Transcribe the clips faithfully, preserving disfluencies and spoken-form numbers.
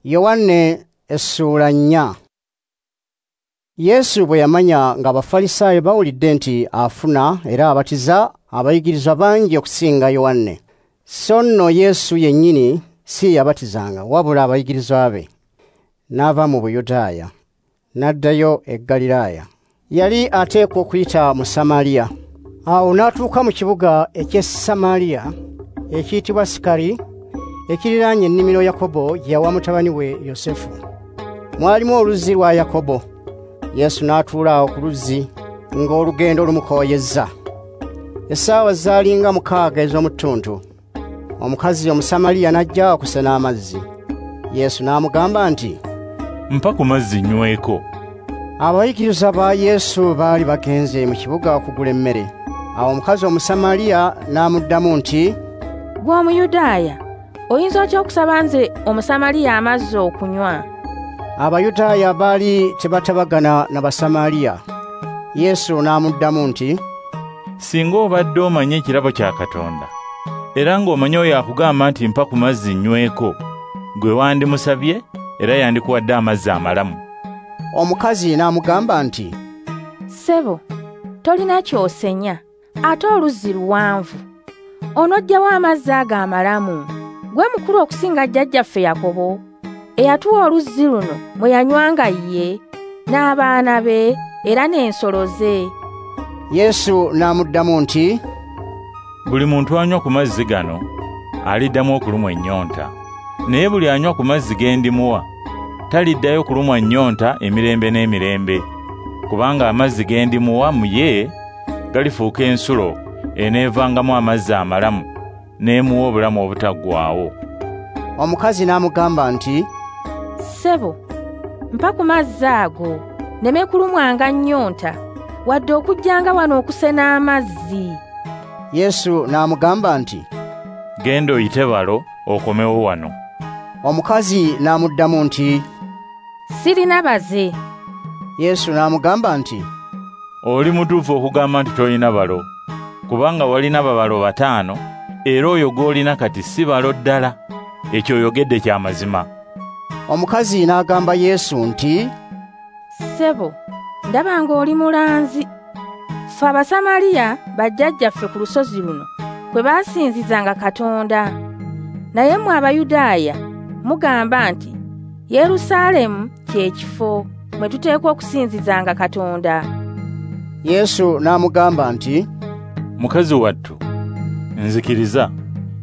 Yowanne essuula nnya. Yesu bwe yamanya ng'Abafalisaayo bawulidde nti afuna era abatiza abayigirizwa bangi okusinga Yowanne. So nno Yesu yennyini si yabatizanga wabula abayigirizwa be. N'ava mu Buyudaaya n'addayo e Ggaliraaya. Yali ateekwa okuyita mu Samaliya. Awo n'atuuka mu kibuga eky'e Samaliya ekiyitibwa Sikari, ekiriraanye ennimiro Yakobo gye yawa mutabani we Yosefu. Mwalimu oluzzi lwa Yakobo. Yesu n'atuula awo ku luzzi ng'olugendo lumukooyezza. Essaawa zaali nga mukaaga ez'omu ttuntu. Omukazi Omusamaliya n'ajja okusena amazzi. Yesu n'amugamba nti, "Mpa ku mazzi nyweko." Abayigirizwa ba Yesu baali bagenze mu kibuga okugula emmere. Awo omukazi Omusamaliya n'amuddamu nti, "Ggwe Omuyudaaya, oyinza otya okusaba nze Omusamaliya amazzi okunywa?" Abayudaaya baali tebatabagana na Basamaliya. Yesu n'amuddamu nti, "Singa obadde omanyi ekirabo kya Katonda, era ng'omanyi oyo akugamba nti mpa ku mazzi nyweko, gwe wandimusabye era yandikuwadde amazzi amalamu." Omukazi n'amugamba nti, "Ssebo, tolina ky'osenya, ate oluzzi luwanvu. Onoggyawo amazzi ago amalamu? Gwe mukulu okusinga jjajjaffe Yakobo, eyatuwa oluzzi luno mwe yanywanga ye, n'abaana be, era n'ensolo ze." Yesu n'amuddamu nti, "Buli muntu anywa ku mazzi gano aliddamu okulumwa ennyonta. Naye buli anywa ku mazzi ge ndimuwa taliddayo kulumwa nnyonta emirembe n'emirembe, kubanga amazzi ge ndimuwa mu ye galifuuka ensulo eneevangamu amazzi amalamu n'emuwa obulamu obutaggwaawo." Omukazi n'amugamba nti, "Ssebo, mpa ku mazzi ago nneme kulumwanga nnyonta, wadde okujjanga wano okusena amazzi." Yesu n'amugamba nti, "Genda oyite balo okomewo wano." Omukazi n'amuddamu nti, "Sirina baze." Yesu n'amugamba nti, "Oli mutuufu okugamba nti tolina balo, kubanga walina babalo bataano, era oyo gw'olina kati si balo ddala. Ekyo oyogedde kya mazima." Omukazi n'agamba Yesu nti, "Ssebo, ndaba ng'oli mulanzi. Ffe Abasamaliya bajjajjaffe ku lusozi luno kwe baasinzizanga Katonda. Naye mmwe Abayudaaya mugamba nti Yerusaalemu kye kifo mwe tuteekwa okusinzizanga Katonda." Yesu n'amugamba nti, "Mukazi wattu, nzikiriza,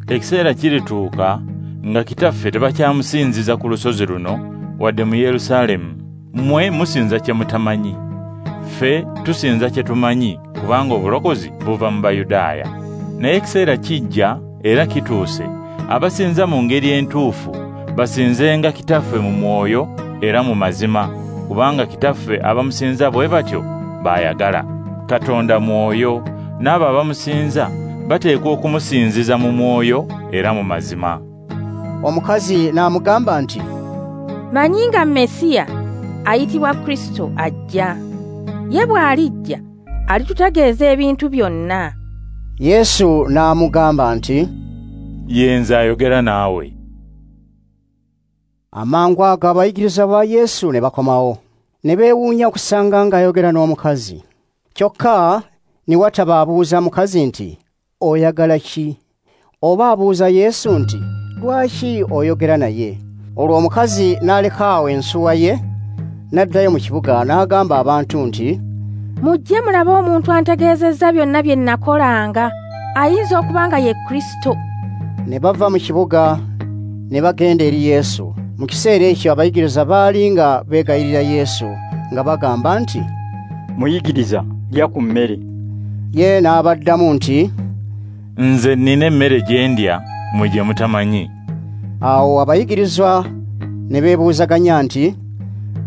ekiseera kirituuka nga Kitaffe tebakyamusinziza ku lusozi luno wadde mu Yerusaalemu. Mmwe musinza kye mutamanyi, ffe tusinza kye tumanyi, kubanga obulokozi buva mu Bayudaaya. Naye ekiseera kijja era kituuse, abasinza mu ngeri entuufu basinzenga Kitaffe mu mwoyo era mu mazima, kubanga Kitaffe abamusinza bwe batyo baayagala. Katonda mwoyo, n'abo abamusinza bateekwa okumusinziza mu mwoyo era mu mazima." Omukazi n'amugamba nti, "Manyi nga Mesiya ayitibwa Kristo ajja. Ye bw'alijja alitutegeeza ebintu byonna." Yesu n'amugamba nti, "Ye nze ayogera naawe." Amangu ago abayigirizwa ba Yesu ne bakomawo, ne beewuunya okusanga ng'ayogera n'omukazi. Kyokka ne wataba abuuza mukazi nti, "Oyagala ki?" Oba abuuza Yesu nti, "Lwaki oyogera naye?" Olwo omukazi n'aleka awo ensuwa ye, n'addayo mu kibuga n'agamba abantu nti, "Mujje mulabe omuntu antegeezezza byonna bye nakolanga, ayinza okuba nga ye Kristo." Ne bava mu kibuga ne bagenda eri Yesu. Mu kiseera ekyo abayigirizwa baali nga beegayirira Yesu nga bagamba nti, "Muyigiriza, lya ku mmere." Ye n'abaddamu nti, "Nze nnina emmere gye ndya mmwe gye mutamanyi." Awo abayigirizwa ne beebuuzaganya nti,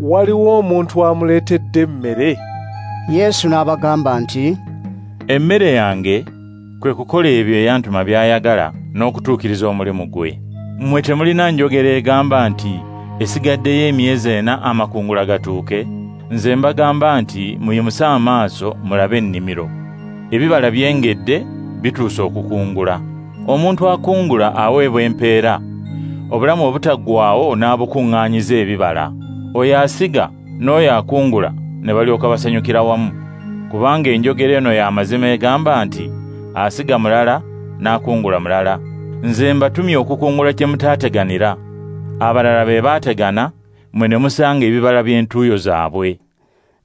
"Waliwo omuntu amuleetedde emmere?" Yesu n'abagamba nti, "Emmere yange kwe kukola ebyo eyantuma by'ayagala n'okutuukiriza omulimu gwe. Mmwe temulina njogera egamba nti esigaddeyo emyezi ena amakungula gatuuke? Nze mbagamba nti muyimuse amaaso mulabe ennimiro. Ebibala byengedde bituuse okukungula. Omuntu akungula aweebwa empeera Obulamu obutaggwaawo n'abukuŋŋaanyiza ebibala. Oyo asiga n'oyo akungula ne balyoka basanyukira wamu. Kubanga enjogera eno y'amazima egamba nti asiga mulala n'akungula mulala. Nze mbatumye okukungula kye mutaateganira. Abalala be baategana, mmwe ne musanga ebibala by'entuuyo zaabwe.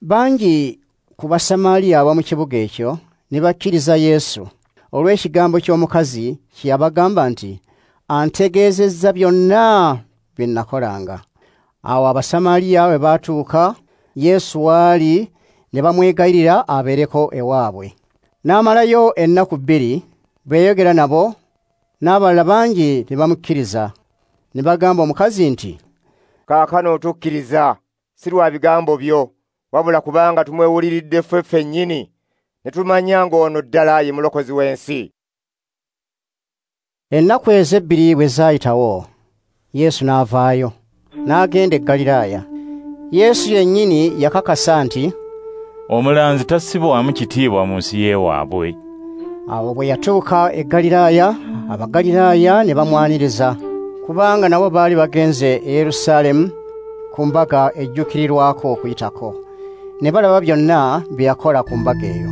Bangi ku Basamaliya ab'omu kibuga ekyo ne bakkiriza Yesu olw'ekigambo ky'omukazi kye yabagamba nti, antegeezezza byonna bye nakolanga. Awo Abasamaliya bwe baatuuka Yesu w'ali ne bamwegayirira abeereko ewaabwe. N'amalayo ennaku bbiri bwe yayogera nabo, n'abalala bangi ne bamukkiriza. Ne bagamba omukazi nti, kaakano tukkiriza, si lwa bigambo byo, wabula kubanga tumwewuliridde ffe ffennyini, ne tumanya ng'ono ddala ye mulokozi w'ensi. Ennaku ezo ebbiri bwe zaayitawo, Yesu n'avaayo, n'agenda e Ggaliraaya. Yesu yennyini yakakasa nti, omulanzi tassibwamu kitiibwa mu nsi y'ewaabwe. Awo bwe yatuuka e Ggaliraaya, Abagaliraaya ne bamwaniriza, kubanga nabo baali bagenze e Yerusaalemu ku mbaga ejjuukirirwako Okuyitako. Ne balaba byonna bye yakola ku mbaga eyo.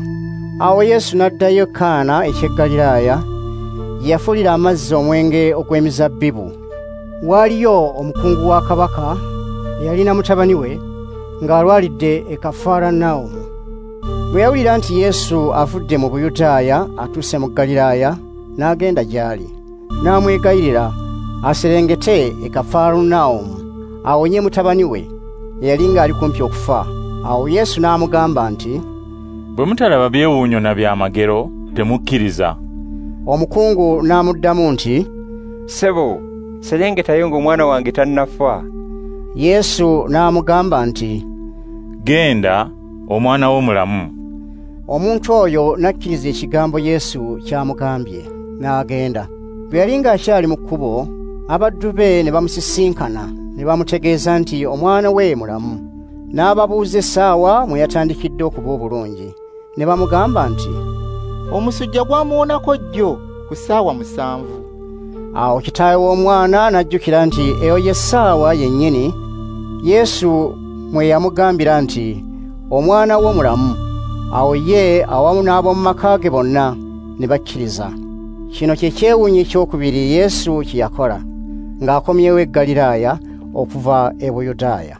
Awo Yesu n'addayo e Kaana eky'e Ggaliraaya, gye yafuulira amazzi omwenge ogw'emizabbibu. Waaliyo omukungu wa kabaka eyalina mutabani we ng'alwalidde e Kafarunawumu. Bwe yawulira nti Yesu avudde mu Buyudaaya atuuse mu Ggaliraaya, n'agenda gy'ali, n'amwegayirira aserengete e Kafarunawumu awonye mutabani we eyali ng'ali kumpi okufa. Awo Yesu n'amugamba nti, bwe mutalaba byewuunyo na byamagero temukkiriza. Omukungu n'amuddamu nti, ssebo, serengetayo ng'omwana wange tannafa. Yesu n'amugamba nti, genda, omwana wo mulamu. Omuntu oyo n'akkiriza ekigambo Yesu ky'amugambye, n'agenda. Bwe yali ng'akyali mu kkubo, abaddu be ne bamusisinkana ne bamutegeeza nti omwana we mulamu. N'ababuuza essaawa mwe yatandikidde okuba obulungi. Ne bamugamba nti, omusujja gwamuwonako jjo ku ssaawa musanvu. Awo kitaawe w'omwana n'ajjukira nti eyo ye ssaawa yennyini Yesu mwe yamugambira nti, omwana wo mulamu. Awo ye awamu n'ab'omu maka ge bonna ne bakkiriza. Kino kye kyewuunyo ekyokubiri Yesu kye yakola ng'akomyewo e Ggaliraaya okuva e Buyudaaya.